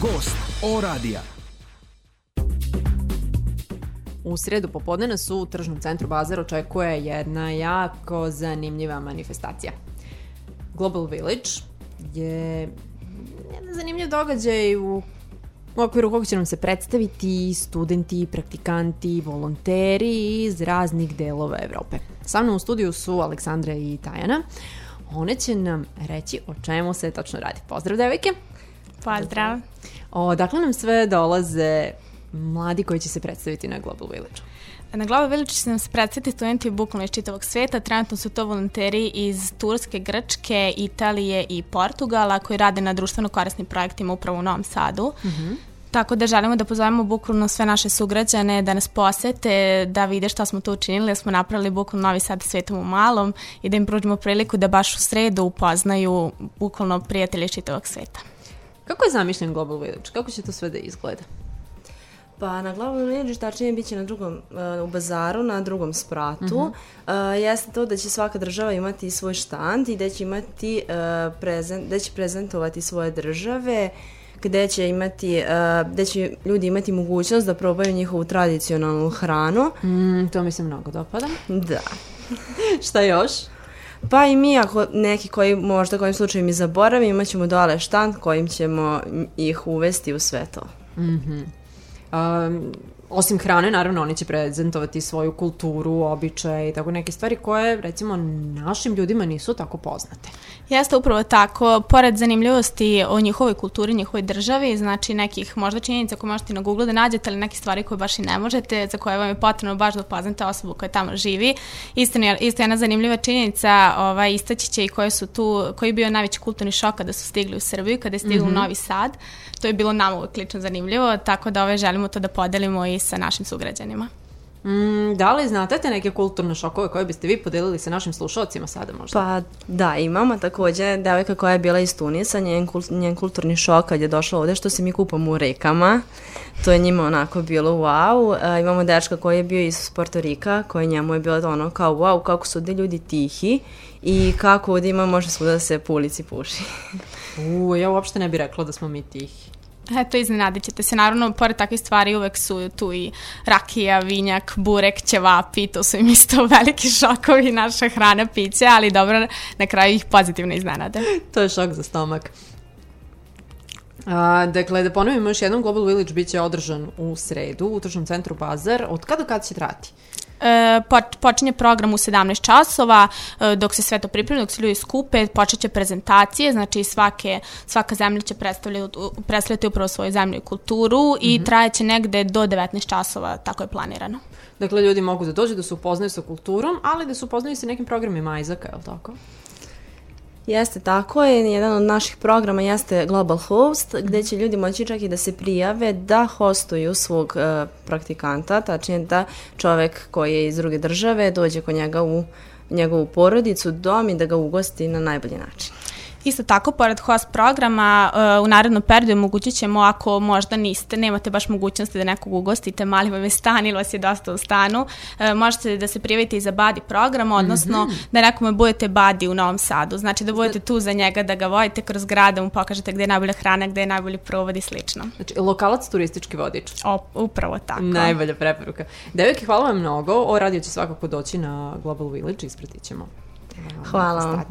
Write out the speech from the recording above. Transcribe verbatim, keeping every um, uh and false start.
Gost O radija. U sredu popodne nas u tržnom centru Bazar očekuje jedna jako zanimljiva manifestacija. Global Village je jedan zanimljiv događaj u u okviru kog će nam se predstaviti studenti, praktikanti, volonteri iz raznih delova Evrope. Sa mnom u studiju su Aleksandra i Tajana. One će nam reći o čemu se tačno radi. Pozdrav, devojke! Pozdrav! Odakle nam sve dolaze mladi koji će se predstaviti na Global Village? Na Global Village će nam se predstaviti studenti bukvalno iz čitavog sveta. Trenutno su to volonteri iz Turske, Grčke, Italije i Portugala koji rade na društveno korisnim projektima upravo u Novom Sadu. Mm-hmm. Tako da želimo da pozovemo bukvalno sve naše sugrađane da nas posete, da vide šta smo tu učinili, da smo napravili bukvalno Novi Sad svetom u malom i da im pružimo priliku da baš u sredu upoznaju bukvalno prijatelje iz čitavog sveta. Kako je zamišljen Global Village? Kako će to sve da izgleda? Pa na Global Village tačnije bit će na drugom, uh, u bazaru, na drugom spratu. Mm-hmm. Uh, jeste to da će svaka država imati svoj štand i da će, imati, uh, prezent, da će prezentovati svoje države, gde će, imati, uh, gde će ljudi imati mogućnost da probaju njihovu tradicionalnu hranu. Mm, to mi se mnogo dopada. Da. Šta još? Pa i mi, ako neki koji možda kojim slučajem i zaboravim, imat ćemo dole štand kojim ćemo ih uvesti u sve to. Mhm. Um, osim hrane, naravno, oni će prezentovati svoju kulturu, običaje i tako neke stvari koje, recimo, našim ljudima nisu tako poznate. Jeste upravo tako. Pored zanimljivosti o njihovoj kulturi, njihovoj državi, znači nekih možda činjenica koje možete na Google da nađete, ali neke stvari koje baš i ne možete, za koje vam je potrebno baš da upoznate osobu koja tamo živi. Isto, isto jedna zanimljiva činjenica, ovaj, istaći će i koje su tu, koji je bio najveći kulturni šok kada su stigli u Srbiju, kada je stigli mm-hmm. u Novi Sad. To je bilo nama uvijek lično zanimljivo, tako da ove želimo to da podelimo i sa našim sugrađanima. Mm, da li znate te neke kulturne šokove koje biste vi podelili sa našim slušalcima sada možda? Pa da, imamo također devojka koja je bila iz Tunisa, njen, kult, njen kulturni šok kad je došla ovdje što se mi kupamo u rekama. To je njima onako bilo wow. E, imamo dečka koji je bio iz Porto Rika, koji njemu je bilo ono kao wow, kako su ovdje ljudi tihi i kako ovdje ima može svuda da se po ulici puši. U, ja uopšte ne bih rekla da smo mi tihi. Eto, iznenadit ćete se. Naravno, pored takvih stvari uvek su tu i rakija, vinjak, burek, ćevapi, to su im isto veliki šokovi, naša hrana, piće, ali dobro, na kraju ih pozitivno iznenade. To je šok za stomak. A, dakle, da ponovimo još jednom, Global Village bit će održan u sredu u tržnom centru Bazar. Od kada kad će trati? E, počinje program u sedamnaest časova, e, dok se sve to pripremi, dok se ljudi skupe, počeće prezentacije, znači svake, svaka zemlja će predstavljati, predstavljati upravo svoju zemlju i kulturu mm-hmm. i trajeće negde do devetnaest časova, tako je planirano. Dakle, ljudi mogu da dođu da se upoznaju sa kulturom, ali da se upoznaju sa nekim programima Isaaca, je li tako? Jeste, tako je. Jedan od naših programa jeste Global Host, gde će ljudi moći čak i da se prijave da hostuju svog uh, praktikanta, tačnije da čovek koji je iz druge države dođe kod njega u njegovu porodicu, dom i da ga ugosti na najbolji način. Isto tako, pored host programa, uh, u narednom periodu omogućit ćemo, ako možda niste, nemate baš mogućnosti da nekog ugostite, mali vam je stan ili vas je dosta u stanu, uh, možete da se prijavite i za buddy program, odnosno mm-hmm. da nekome budete buddy u Novom Sadu. Znači da budete tu za njega, da ga vodite kroz grad, da mu pokažete gde je najbolja hrana, gde je najbolji provod i slično. Znači, lokalac turistički vodič. O, upravo tako. Najbolja preporuka. Devojke, hvala vam mnogo. O radio će svakako doći na Global Village, ispratit ćemo hvala vam.